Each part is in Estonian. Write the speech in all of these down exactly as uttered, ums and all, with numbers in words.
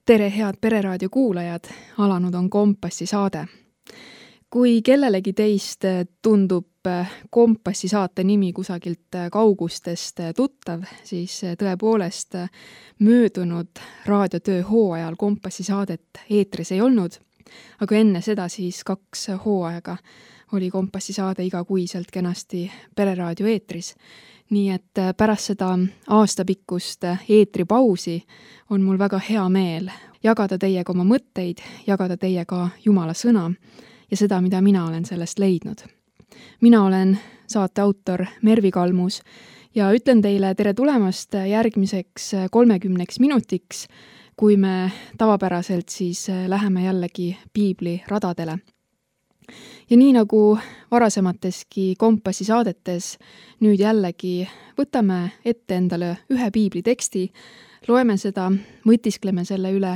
Tere, head Pereraadio kuulajad! Alanud on Kompassi saade. Kui kellelegi teist tundub Kompassi saate nimi kusagilt kaugustest tuttav, siis tõepoolest möödunud raadiotöö hooajal Kompassi saadet eetris ei olnud, aga enne seda siis kaks hooaega oli Kompassi saade igakuiselt kenasti Pereraadio eetris. Nii et pärast seda aastapikkust eetripausi on mul väga hea meel jagada teiega oma mõtteid, jagada teiega Jumala sõna ja seda, mida mina olen sellest leidnud. Mina olen saate autor Mervi Kalmus ja ütlen teile tere tulemast järgmiseks kolmekümneks minutiks, kui me tavapäraselt siis läheme jällegi piibli radadele. Ja nii nagu varasemateski Kompassi saadetes, nüüd jällegi võtame ette endale ühe piibli teksti, loeme seda, mõtiskleme selle üle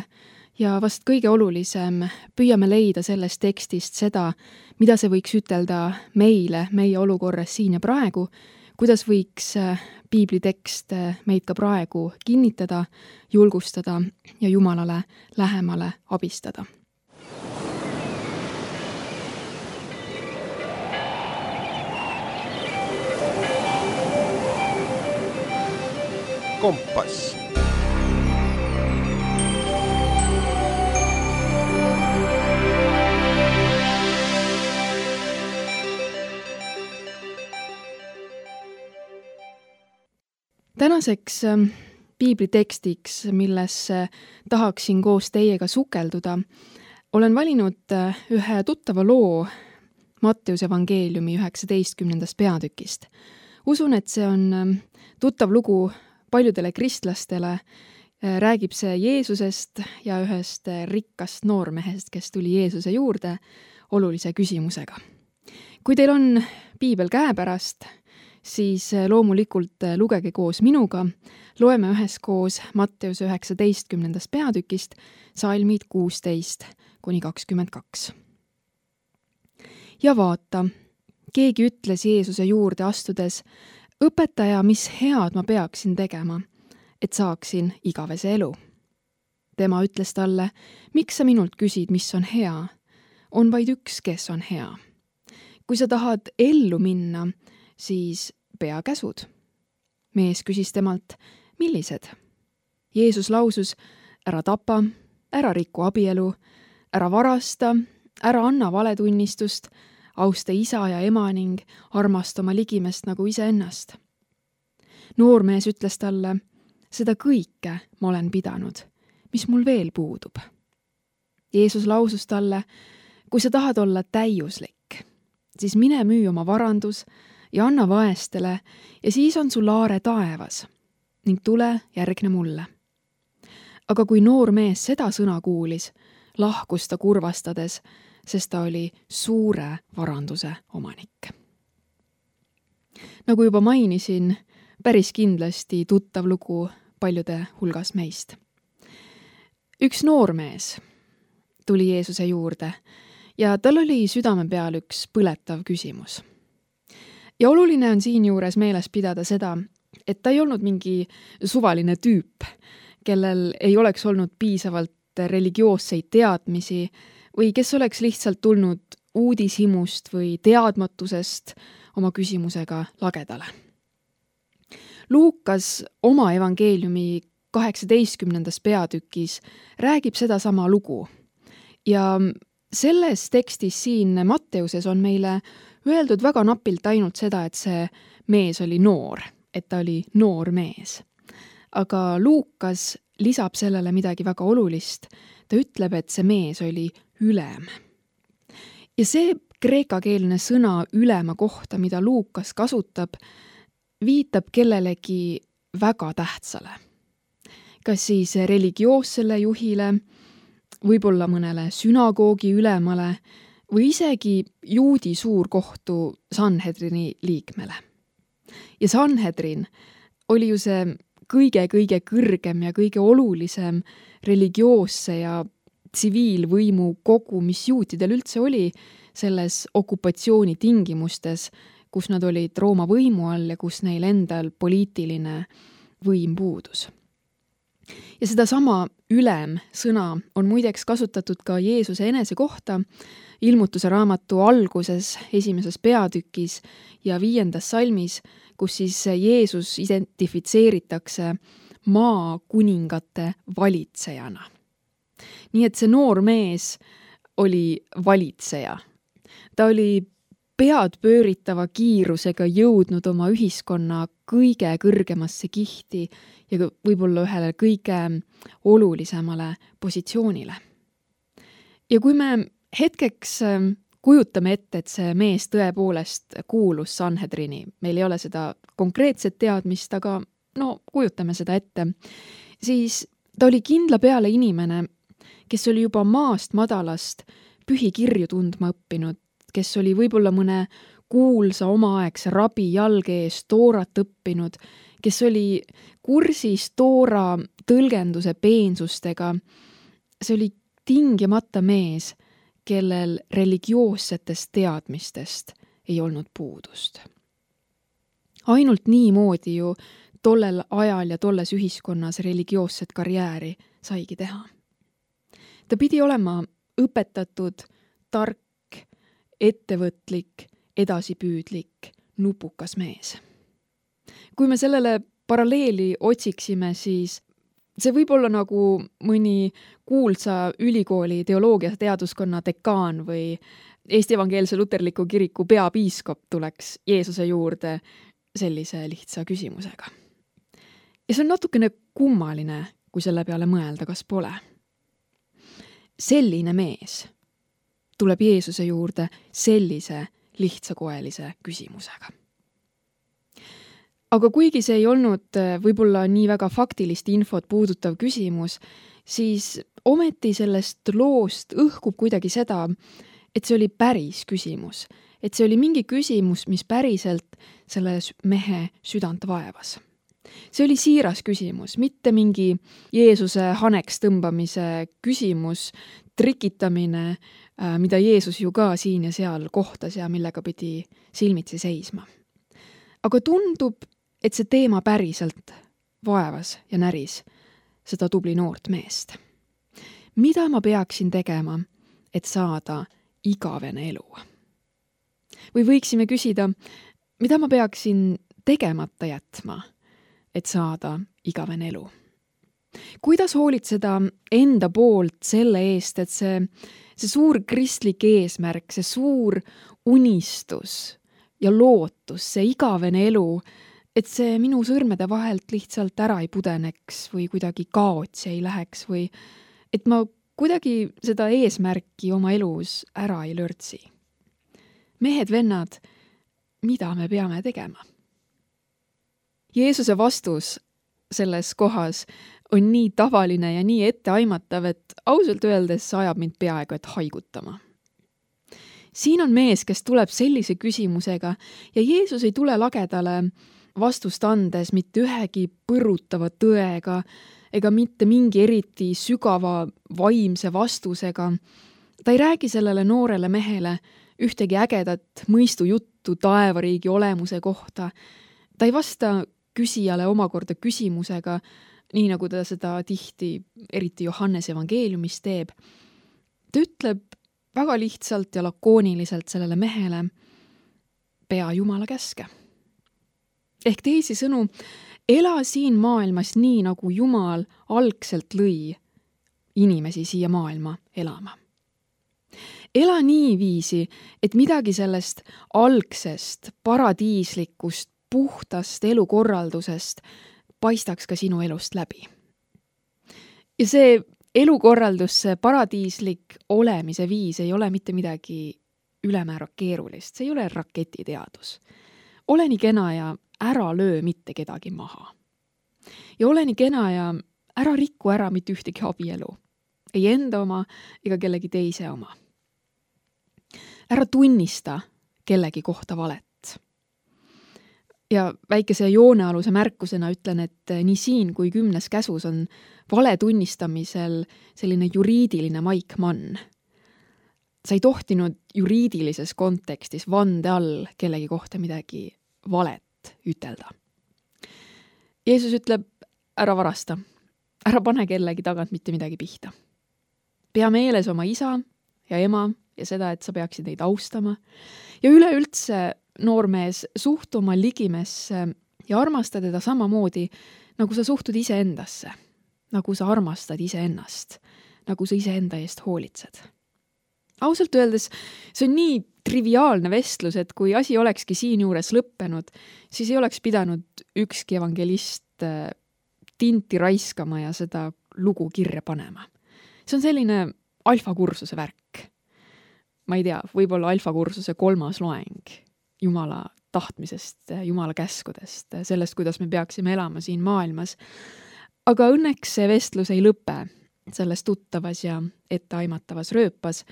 ja vast kõige olulisem, püüame leida sellest tekstist seda, mida see võiks ütelda meile, meie olukorras siin ja praegu, kuidas võiks piibli tekst meid ka praegu kinnitada, julgustada ja Jumalale lähemale abistada. Kompass. Tänaseks piiblitekstiks, millesse tahaksin koos teiega sukelduda, olen valinud ühe tuttava loo Matteuse evangeeliumi üheksateistkümnendast peatükist. Usun, et see on tuttav lugu paljudele kristlastele, räägib see Jeesusest ja ühest rikkast noormehest, kes tuli Jeesuse juurde olulise küsimusega. Kui teil on piibel käepärast, siis loomulikult lugege koos minuga, loeme üheskoos Matteuse üheksateistkümnendast peatükist salmid kuusteist kuni kakskümmend kaks. Ja vaata, keegi ütles Jeesuse juurde astudes, õpetaja, mis head ma peaksin tegema, et saaksin igavese elu. Tema ütles talle, miks sa minult küsid, mis on hea? On vaid üks, kes on hea. Kui sa tahad ellu minna, siis pea käsud. Mees küsis temalt, millised? Jeesus lausus, ära tapa, ära riku abielu, ära varasta, ära anna valetunnistust, austa isa ja ema ning armasta oma ligimest nagu iseennast. Noormees ütles talle, seda kõike ma olen pidanud, mis mul veel puudub. Jeesus lausus talle, kui sa tahad olla täiuslik, siis mine müü oma varandus ja anna vaestele ja siis on sul aare taevas ning tule järgne mulle. Aga kui noormees seda sõna kuulis, lahkus ta kurvastades, sest ta oli suure varanduse omanik. Nagu juba mainisin, päris kindlasti tuttav lugu paljude hulgas meist. Üks noormees tuli Jeesuse juurde ja tal oli südame peal üks põletav küsimus. Ja oluline on siinjuures meeles pidada seda, et ta ei olnud mingi suvaline tüüp, kellel ei oleks olnud piisavalt religioosseid teadmisi või kes oleks lihtsalt tulnud uudishimust või teadmatusest oma küsimusega lagedale. Luukas oma evangeeliumi kaheksateistkümnendas peatükis räägib seda sama lugu ja selles tekstis siin Matteuses on meile öeldud väga napilt ainult seda, et see mees oli noor, et ta oli noor mees. Aga Luukas lisab sellele midagi väga olulist. Ta ütleb, et see mees oli ülem. Ja see kreekakeelne sõna ülema kohta, mida Luukas kasutab, viitab kellelegi väga tähtsale. Kas siis religioossele juhile, võib-olla mõnele sünagoogi ülemale või isegi juudi suurkohtu Sanhedrini liikmele. Ja Sanhedrin oli ju see kõige-kõige kõrgem ja kõige olulisem religioosse ja tsiviilvõimu kogu, mis juutidel üldse oli selles okupatsiooni tingimustes, kus nad olid Rooma võimu all ja kus neil endal poliitiline võim puudus. Ja sedasama ülem sõna on muideks kasutatud ka Jeesuse enese kohta ilmutuse raamatu alguses, esimeses peatükis ja viiendas salmis, kus siis Jeesus identifitseeritakse maa kuningate valitsejana. Nii et see noor mees oli valitseja. Ta oli pead pööritava kiirusega jõudnud oma ühiskonna kõige kõrgemasse kihti ja võib-olla ühele kõige olulisemale positsioonile. Ja kui me hetkeks kujutame ette, et see mees tõepoolest kuulus Sanhedrini, meil ei ole seda konkreetset teadmist, aga no kujutame seda ette, siis ta oli kindla peale inimene, kes oli juba maast madalast pühikirju tundma õppinud, kes oli võib-olla mõne kuulsa omaaegse rabi jalge ees toorat õppinud, kes oli kursis toora tõlgenduse peensustega. See oli tingimata mees, kellel religioossetest teadmistest ei olnud puudust. Ainult niimoodi ju tollel ajal ja tolles ühiskonnas religioosset karjääri saigi teha. Ta pidi olema õpetatud, tark, ettevõtlik, edasipüüdlik, nupukas mees. Kui me sellele paralleeli otsiksime, siis see võib olla nagu mõni kuulsa ülikooli teoloogia teaduskonna dekaan või Eesti Evangeelse Luterliku Kiriku peapiiskop tuleks Jeesuse juurde sellise lihtsa küsimusega. Ja see on natukene kummaline, kui selle peale mõelda, kas pole. Selline mees tuleb Jeesuse juurde sellise lihtsakoelise küsimusega. Aga kuigi see ei olnud võib-olla nii väga faktilist infot puudutav küsimus, siis ometi sellest loost õhkub kuidagi seda, et see oli päris küsimus. Et see oli mingi küsimus, mis päriselt selle mehe südant vaevas. See oli siiras küsimus, mitte mingi Jeesuse haneks tõmbamise küsimus, trikitamine, mida Jeesus ju ka siin ja seal kohtas ja millega pidi silmitsi seisma. Aga tundub, et see teema päriselt vaevas ja näris seda tubli noort meest. Mida ma peaksin tegema, et saada igavene elu? Või võiksime küsida, mida ma peaksin tegemata jätma, et saada igavene elu? Kuidas hoolitseda enda poolt selle eest, et see, see suur kristlik eesmärk, see suur unistus ja lootus, see igavene elu, et see minu sõrmede vahelt lihtsalt ära ei pudeneks või kuidagi kaotsi ei läheks või et ma kuidagi seda eesmärki oma elus ära ei lörtsi. Mehed, vennad, mida me peame tegema? Jeesuse vastus selles kohas on nii tavaline ja nii etteaimatav, et ausalt öeldes ajab mind peaaegu et haigutama. Siin on mees, kes tuleb sellise küsimusega ja Jeesus ei tule lagedale vastust andes mitte ühegi põrutava tõega ega mitte mingi eriti sügava vaimse vastusega. Ta ei räägi sellele noorele mehele ühtegi ägedat mõistujuttu taevariigi olemuse kohta. Ta ei vasta küsijale omakorda küsimusega, nii nagu ta seda tihti, eriti Johannes evangeeliumis teeb. Ta ütleb väga lihtsalt ja lakooniliselt sellele mehele, pea Jumala käske. Ehk teisisõnu, ela siin maailmas nii, nagu Jumal algselt lõi inimesi siia maailma elama. Ela nii viisi, et midagi sellest algsest, paradiislikust, puhtast elukorraldusest paistaks ka sinu elust läbi. Ja see elukorraldus, see paradiislik olemise viis ei ole mitte midagi ülemäära keerulist, see ei ole raketiteadus. Ole nii kena ja ära löö mitte kedagi maha. Ja ole nii kena ja ära rikku ära mitte ühtegi abielu, ei enda oma ega kellegi teise oma. Ära tunnista kellegi kohta valet. Ja väikese joonealuse märkusena ütlen, et nii siin kui kümnes käsus on vale tunnistamisel selline juriidiline maikmann. Sa ei tohtinud juriidilises kontekstis vande all kellegi kohta midagi valet ütelda. Jeesus ütleb, ära varasta, ära pane kellegi tagant mitte midagi pihta. Pea meeles oma isa ja ema ja seda, et sa peaksid neid austama. Ja üleüldse, noormees, suhtu oma ligimesse ja armasta teda samamoodi, nagu sa suhtud ise endasse, nagu sa armastad ise ennast, nagu sa ise enda eest hoolitsed. Ausalt öeldes, see on nii triviaalne vestlus, et kui asi olekski siin juures lõppenud, siis ei oleks pidanud ükski evangelist tinti raiskama ja seda lugu kirja panema. See on selline alfakursuse värk. Ma ei tea, võib-olla alfakursuse kolmas loeng Jumala tahtmisest, Jumala käskudest, sellest, kuidas me peaksime elama siin maailmas. Aga õnneks see vestlus ei lõpe selles tuttavas ja etteaimatavas rööpas,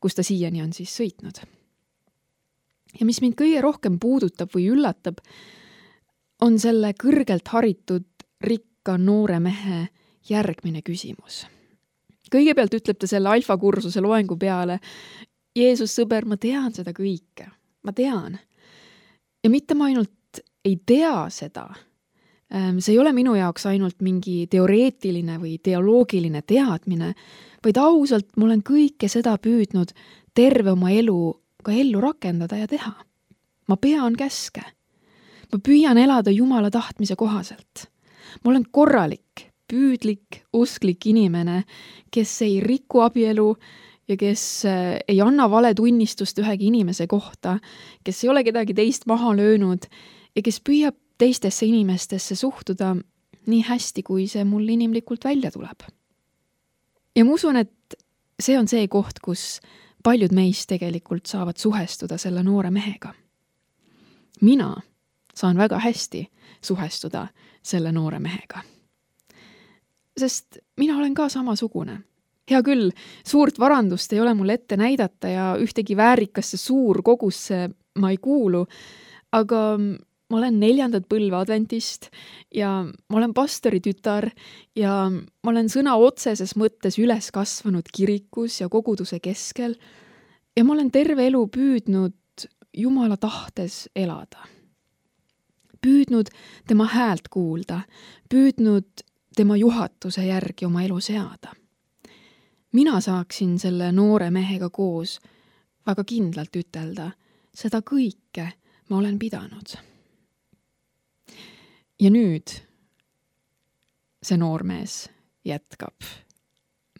kus ta siiani on siis sõitnud. Ja mis mind kõige rohkem puudutab või üllatab, on selle kõrgelt haritud rikka noore mehe järgmine küsimus. Kõigepealt ütleb ta selle alfakursuse loengu peale, Jeesus, sõber, ma tean seda kõike. Ma tean. Ja mitte ma ainult ei tea seda. See ei ole minu jaoks ainult mingi teoreetiline või teoloogiline teadmine, vaid ausalt ma olen kõike seda püüdnud terve oma elu ka ellu rakendada ja teha. Ma pean käske. Ma püüan elada Jumala tahtmise kohaselt. Ma olen korralik, püüdlik, usklik inimene, kes ei riku abielu ja kes ei anna vale tunnistust ühegi inimese kohta, kes ei ole kedagi teist maha löönud ja kes püüab teistesse inimestesse suhtuda nii hästi, kui see mul inimlikult välja tuleb. Ja ma usun, et see on see koht, kus paljud meist tegelikult saavad suhestuda selle noore mehega. Mina saan väga hästi suhestuda selle noore mehega. Sest mina olen ka samasugune. Hea küll, suurt varandust ei ole mul ette näidata ja ühtegi väärikasse suur kogusse ma ei kuulu, aga ma olen neljandat põlve adventist ja ma olen pastori tütar ja ma olen sõna otseses mõttes üles kasvanud kirikus ja koguduse keskel ja ma olen terve elu püüdnud Jumala tahtes elada. Püüdnud tema häält kuulda, püüdnud tema juhatuse järgi oma elu seada. Mina saaksin selle noore mehega koos väga kindlalt ütelda, seda kõike ma olen pidanud. Ja nüüd see noormees jätkab,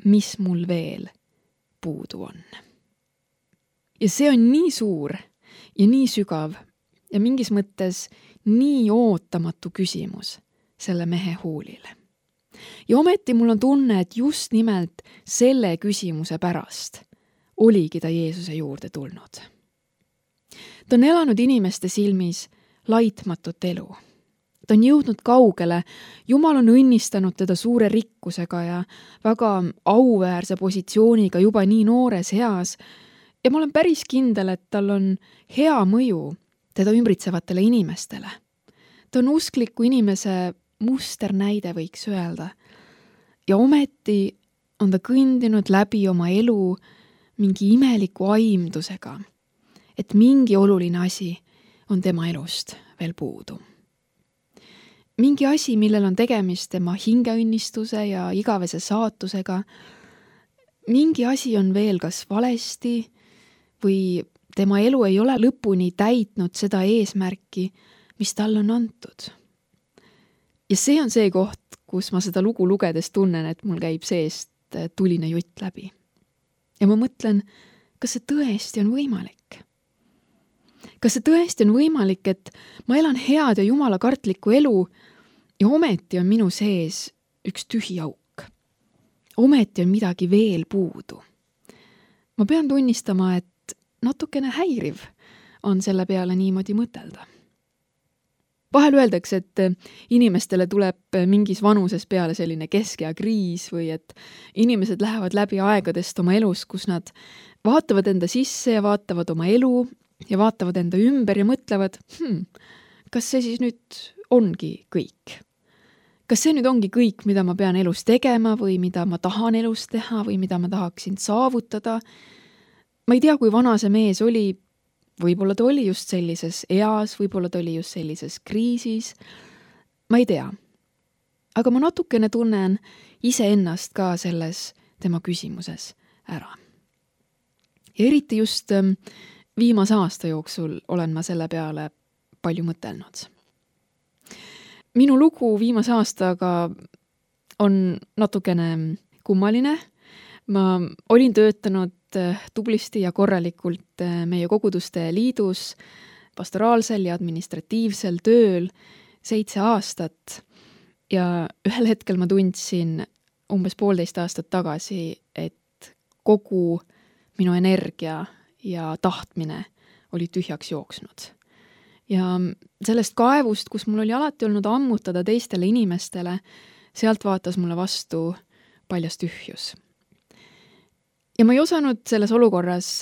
mis mul veel puudu on. Ja see on nii suur ja nii sügav ja mingis mõttes nii ootamatu küsimus selle mehe huulile. Ja ometi mul on tunne, et just nimelt selle küsimuse pärast oligi ta Jeesuse juurde tulnud. Ta on elanud inimeste silmis laitmatut elu. Ta on jõudnud kaugele, Jumal on õnnistanud teda suure rikkusega ja väga auväärse positsiooniga juba nii noores eas ja ma olen päris kindel, et tal on hea mõju teda ümbritsevatele inimestele. Ta on uskliku inimese musternäide, võiks öelda. Ja ometi on ta kõndinud läbi oma elu mingi imeliku aimdusega, et mingi oluline asi on tema elust veel puudu. Mingi asi, millel on tegemist tema hingeõnnistuse ja igavese saatusega, mingi asi on veel kas valesti või tema elu ei ole lõpuni täitnud seda eesmärki, mis tal on antud. Ja see on see koht, kus ma seda lugu lugedes tunnen, et mul käib seest tuline jutt läbi. Ja ma mõtlen, kas see tõesti on võimalik? Kas see tõesti on võimalik, et ma elan head ja Jumala kartlikku elu ja ometi on minu sees üks tühi auk. Ometi on midagi veel puudu. Ma pean tunnistama, et natukene häiriv on selle peale niimoodi mõtelda. Vahel öeldakse, et inimestele tuleb mingis vanuses peale selline keskea kriis või et inimesed lähevad läbi aegadest oma elus, kus nad vaatavad enda sisse ja vaatavad oma elu ja vaatavad enda ümber ja mõtlevad, hmm, kas see siis nüüd ongi kõik? Kas see nüüd ongi kõik, mida ma pean elus tegema või mida ma tahan elus teha või mida ma tahaksin saavutada? Ma ei tea, kui vana see mees oli, võib-olla ta oli just sellises eas, võib-olla ta oli just sellises kriisis. Ma ei tea. aga ma natukene tunnen iseennast ka selles tema küsimuses ära. Ja eriti just viimase aasta jooksul olen ma selle peale palju mõtelnud. Minu lugu viimase aastaga on natukene kummaline. Ma olin töötanud tublisti ja korralikult meie koguduste liidus, pastoraalsel ja administratiivsel tööl seitse aastat ja ühel hetkel ma tundsin umbes poolteist aastat tagasi, et kogu minu energia ja tahtmine oli tühjaks jooksnud. Ja sellest kaevust, kus mul oli alati olnud ammutada teistele inimestele, sealt vaatas mulle vastu paljas tühjus. Ja ma ei osanud selles olukorras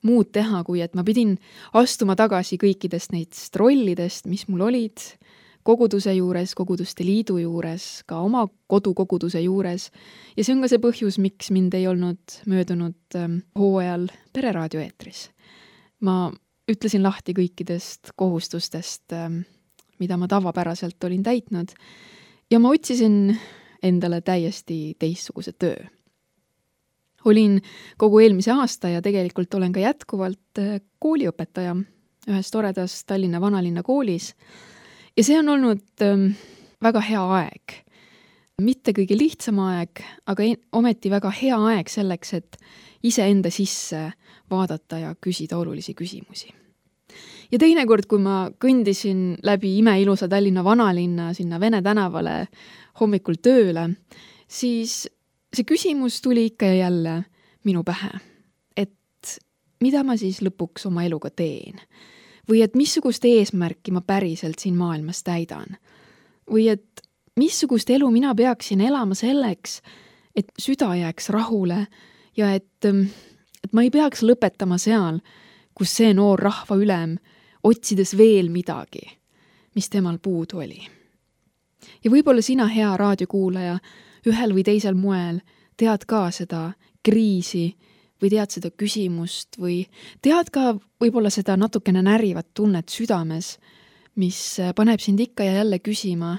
muud teha, kui et ma pidin astuma tagasi kõikidest neist rollidest, mis mul olid koguduse juures, koguduste liidu juures, ka oma kodukoguduse juures. Ja see on ka see põhjus, miks mind ei olnud möödunud hooajal Pereraadio eetris. Ma ütlesin lahti kõikidest kohustustest, mida ma tavapäraselt olin täitnud ja ma otsisin endale täiesti teistsuguse töö. Olin kogu eelmise aasta ja tegelikult olen ka jätkuvalt kooliõpetaja ühes toredas Tallinna vanalinna koolis. Ja see on olnud väga hea aeg. Mitte kõige lihtsam aeg, aga ometi väga hea aeg selleks, et iseenda sisse vaadata ja küsida olulisi küsimusi. Ja teinekord, kui ma kõndisin läbi imeilusa Tallinna vanalinna sinna Vene tänavale hommikul tööle, siis see küsimus tuli ikka ja jälle minu pähe, et mida ma siis lõpuks oma eluga teen? Või et missugust eesmärki ma päriselt siin maailmas täidan? Või et missugust elu mina peaksin elama selleks, et süda jääks rahule ja et, et ma ei peaks lõpetama seal, kus see noor rahva ülem otsides veel midagi, mis temal puudu oli. Ja võib-olla sina, hea raadiokuulaja, ühel või teisel moel tead ka seda kriisi või tead seda küsimust või tead ka võib-olla seda natukene närivat tunnet südames, mis paneb sind ikka ja jälle küsima,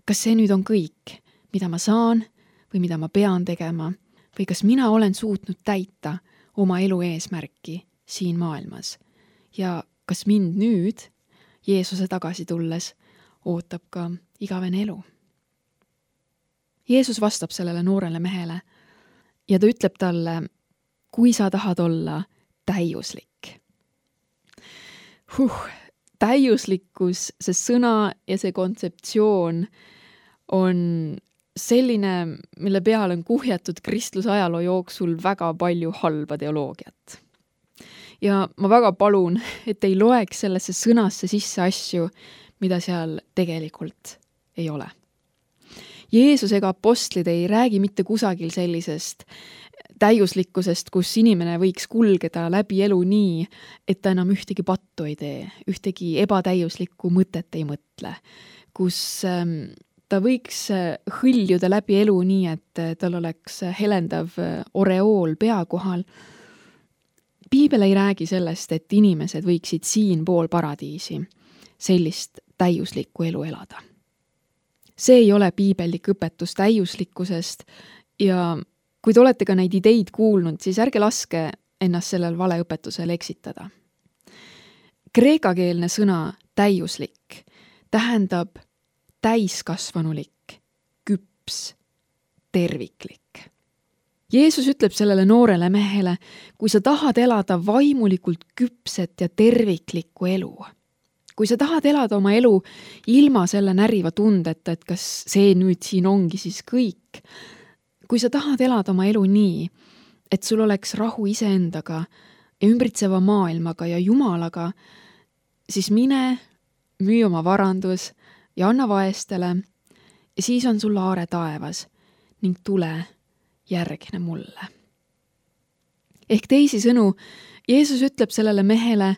kas see nüüd on kõik, mida ma saan või mida ma pean tegema või kas mina olen suutnud täita oma elu eesmärki siin maailmas ja kas mind nüüd, Jeesuse tagasi tulles, ootab ka igavene elu. Jeesus vastab sellele noorele mehele ja ta ütleb talle, kui sa tahad olla täiuslik. Huh, täiuslikkus, see sõna ja see kontseptsioon on selline, mille peale on kuhjatud kristlusajaloo jooksul väga palju halba teoloogiat. Ja ma väga palun, et ei loeks sellesse sõnasse sisse asju, mida seal tegelikult ei ole. Jeesus ega apostlid ei räägi mitte kusagil sellisest täiuslikkusest, kus inimene võiks kulgeda läbi elu nii, et ta enam ühtegi pattu ei tee, ühtegi ebatäiuslikku mõtet ei mõtle, kus ta võiks hõljuda läbi elu nii, et tal oleks helendav oreool pea kohal. Piibel ei räägi sellest, et inimesed võiksid siin pool paradiisi sellist täiuslikku elu elada. See ei ole piibellik õpetus täiuslikkusest ja kui te olete ka neid ideid kuulnud, siis ärge laske ennast sellel valeõpetusel eksitada. Kreekakeelne sõna täiuslik tähendab täiskasvanulik, küps, terviklik. Jeesus ütleb sellele noorele mehele, kui sa tahad elada vaimulikult küpset ja terviklikku elu, kui sa tahad elada oma elu ilma selle näriva tundeta, et kas see nüüd siin ongi siis kõik, kui sa tahad elada oma elu nii, et sul oleks rahu iseendaga ja ümbritseva maailmaga ja Jumalaga, siis mine, müü oma varandus ja anna vaestele ja siis on sul aare taevas ning tule järgne mulle. Ehk teisi sõnu, Jeesus ütleb sellele mehele,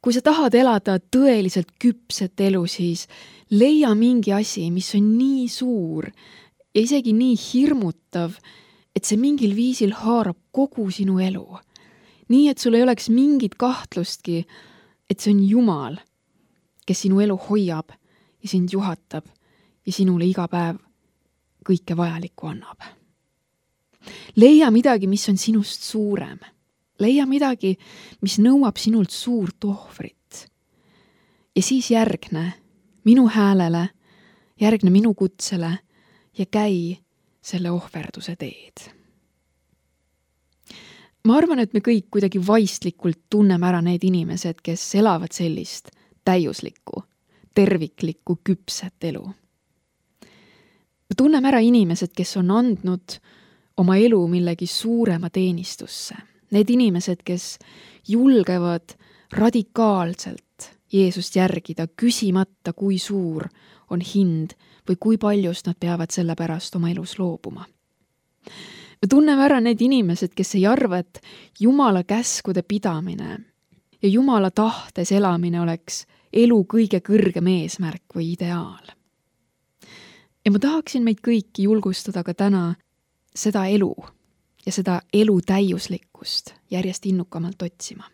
kui sa tahad elada tõeliselt küpset elu, siis leia mingi asi, mis on nii suur ja isegi nii hirmutav, et see mingil viisil haarab kogu sinu elu. Nii, et sul ei oleks mingit kahtlustki, et see on Jumal, kes sinu elu hoiab ja sind juhatab ja sinule iga päev kõike vajalikku annab. Leia midagi, mis on sinust suurem. Leia midagi, mis nõuab sinult suurt ohvrit. Ja siis järgne minu häälele, järgne minu kutsele ja käi selle ohverduse teed. Ma arvan, et me kõik kuidagi vaistlikult tunneme ära need inimesed, kes elavad sellist täiuslikku, terviklikku, küpset elu. Me tunneme ära inimesed, kes on andnud oma elu millegi suurema teenistusse. Need inimesed, kes julgevad radikaalselt Jeesust järgida, küsimata, kui suur on hind või kui paljust nad peavad selle pärast oma elus loobuma. Me tunneme ära need inimesed, kes ei arva, et Jumala käskude pidamine ja Jumala tahtes elamine oleks elu kõige kõrgem eesmärk või ideaal. Ja ma tahaksin meid kõiki julgustada ka täna seda elu ja seda elu täiuslikkust järjest innukamalt otsima.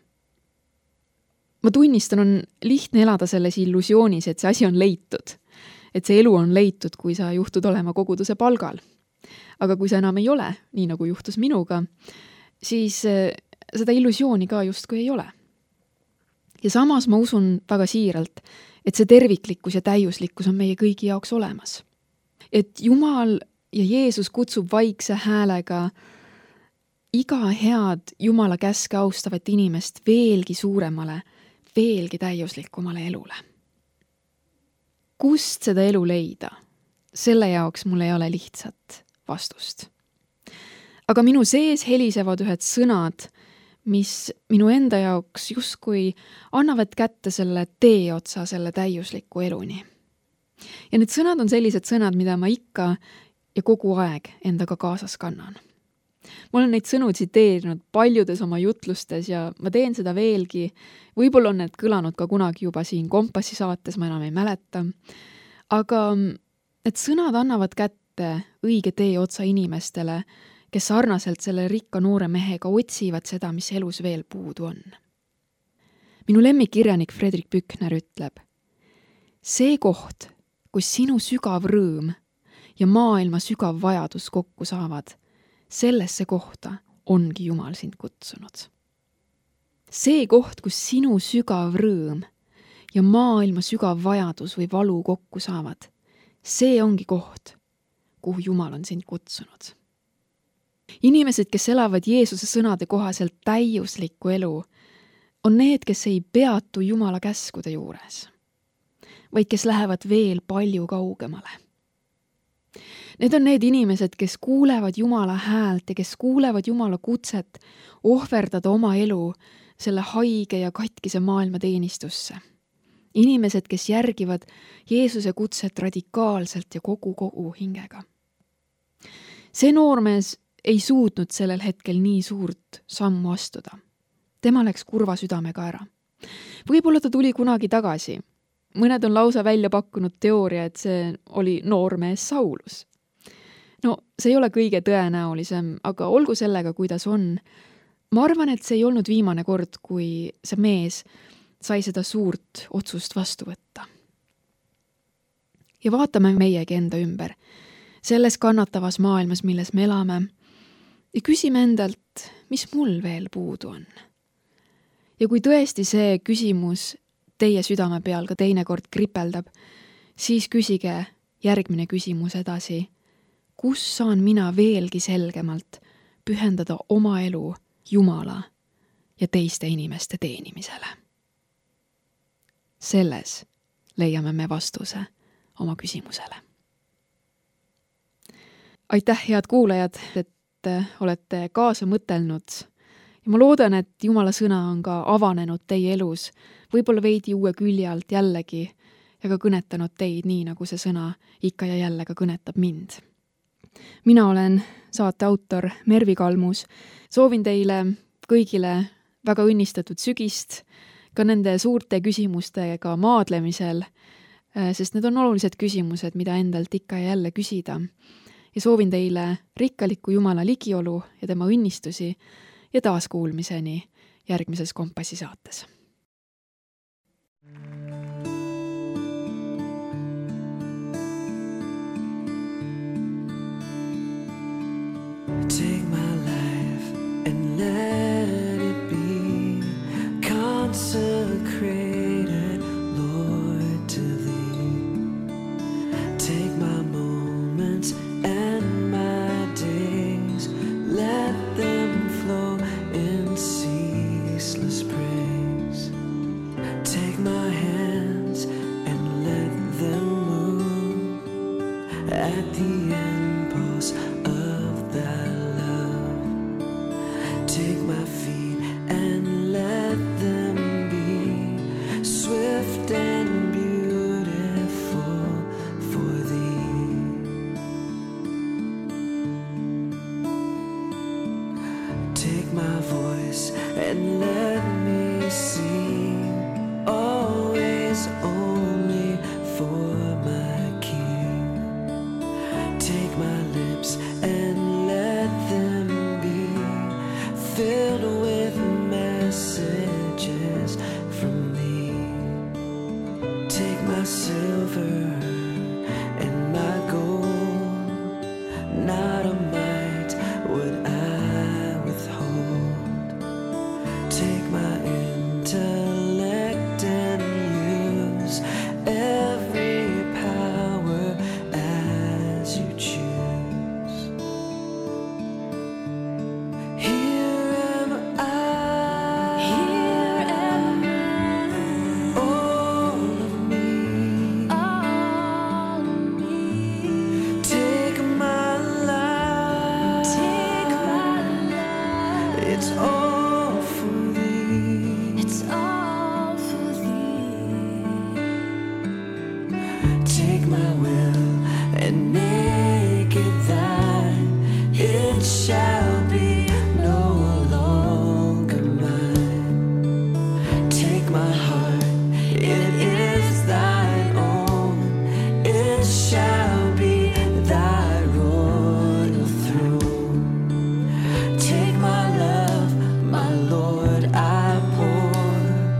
Ma tunnistan, on lihtne elada selles illusioonis, et see asi on leitud. Et see elu on leitud, kui sa juhtud olema koguduse palgal. Aga kui sa enam ei ole, nii nagu juhtus minuga, siis seda illusiooni ka justkui ei ole. Ja samas ma usun väga siiralt, et see terviklikkus ja täiuslikkus on meie kõigi jaoks olemas. Et Jumal ja Jeesus kutsub vaikse häälega iga head Jumala käske austavat inimest veelgi suuremale, veelgi täiuslikumale elule. Kust seda elu leida? Selle jaoks mul ei ole lihtsat vastust. Aga minu sees helisevad ühed sõnad, mis minu enda jaoks justkui annavad kätte selle tee otsa selle täiusliku eluni. Ja need sõnad on sellised sõnad, mida ma ikka ja kogu aeg endaga kaasas kannan. Ma olen neid sõnu tsiteerinud paljudes oma jutlustes ja ma teen seda veelgi. Võib-olla on need kõlanud ka kunagi juba siin Kompassi saates, ma enam ei mäleta. Aga need sõnad annavad kätte õige tee otsa inimestele, kes sarnaselt selle rikka noore mehega otsivad seda, mis elus veel puudu on. Minu lemmikkirjanik Fredrik Pükner ütleb, see koht, kus sinu sügav rõõm ja maailma sügav vajadus kokku saavad, sellesse kohta ongi Jumal sind kutsunud. See koht, kus sinu sügav rõõm ja maailma sügav vajadus või valu kokku saavad, see ongi koht, kuhu Jumal on sind kutsunud. Inimesed, kes elavad Jeesuse sõnade kohaselt täiuslikku elu, on need, kes ei peatu Jumala käskude juures, vaid kes lähevad veel palju kaugemale. Need on need inimesed, kes kuulevad Jumala häält ja kes kuulevad Jumala kutset ohverdada oma elu selle haige ja katkise maailma teenistusse. Inimesed, kes järgivad Jeesuse kutset radikaalselt ja kogu kogu hingega. See noormees ei suutnud sellel hetkel nii suurt sammu astuda. Tema läks kurva südamega ära. Võib-olla ta tuli kunagi tagasi. Mõned on lausa välja pakkunud teooria, et see oli noormees Saulus. No, see ei ole kõige tõenäolisem, aga olgu sellega, kuidas on. Ma arvan, et see ei olnud viimane kord, kui see mees sai seda suurt otsust vastu võtta. Ja vaatame meiegi enda ümber, selles kannatavas maailmas, milles me elame, ja küsime endalt, mis mul veel puudu on. Ja kui tõesti see küsimus teie südame peal ka teinekord kripeldab, siis küsige järgmine küsimus edasi. Kus saan mina veelgi selgemalt pühendada oma elu Jumala ja teiste inimeste teenimisele? Selles leiame me vastuse oma küsimusele. Aitäh, head kuulajad, et olete kaasa mõtelnud. Ja ma loodan, et Jumala sõna on ka avanenud teie elus, võib-olla veidi uue külje alt jällegi ja ka kõnetanud teid nii, nagu see sõna ikka ja jälle ka kõnetab mind. Mina olen saate autor Mervi Kalmus. Soovin teile kõigile väga õnnistatud sügist, ka nende suurte küsimustega maadlemisel, sest need on olulised küsimused, mida endalt ikka ja jälle küsida. Ja soovin teile rikkalikku Jumala ligiolu ja tema õnnistusi ja taaskuulmiseni järgmises Kompassi saates. Take my life and let it be consecrated, Lord, to Thee. Take my moments and my days, let them flow in ceaseless praise. Take my hands and let them move at the impulse of Thy love. Take my feet and let them be swift and beautiful for Thee. Take my voice and let me sing, always only for my King. Take my lips and let them be filled with messages from Thee. Take my silver and my gold, not a mite would I withhold. Take my intellect and use every power as You choose. Here am I, Here am all of me. all of me. Take my life, Take my life, it's all for Thee. it's all for Thee. Take my will and make it Thine. It shall be no longer mine. Take my heart, it is Thine own. It shall be Thy royal throne. Take my love, my Lord, I pour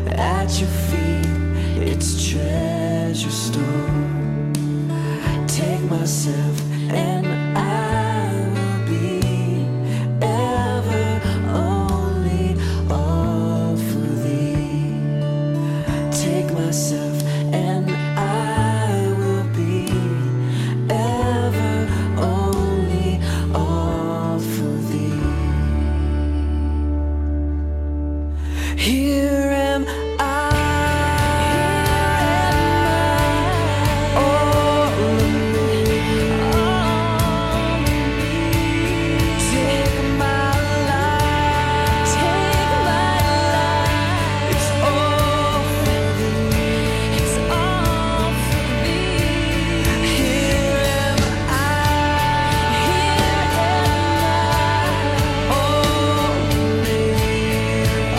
at Your feet, its treasure store. Take myself and I will be ever only all for Thee. Take myself and I will be ever only all for Thee. Here am I, all of me. Take my life, Take my life, it's all for Thee. it's all for Thee. Here am I, Here am all of me.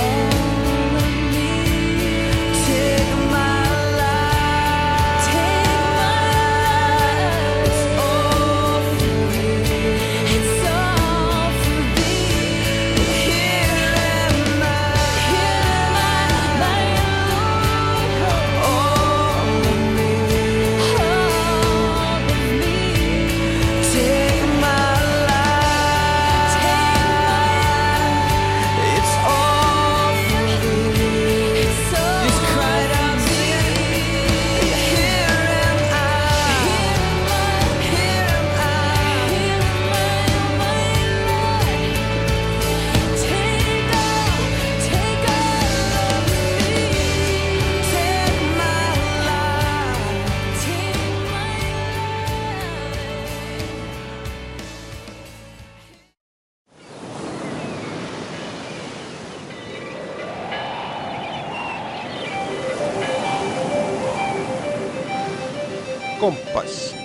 all of me. Take my life, Take my life, it's all for Thee. it's all for Thee. Here am I, Here am I, my Lord, all of me. all of me. Take my life, it's all for Thee. It's all Just cried out, sing. Here am I, here am I. Take my life, Kompass.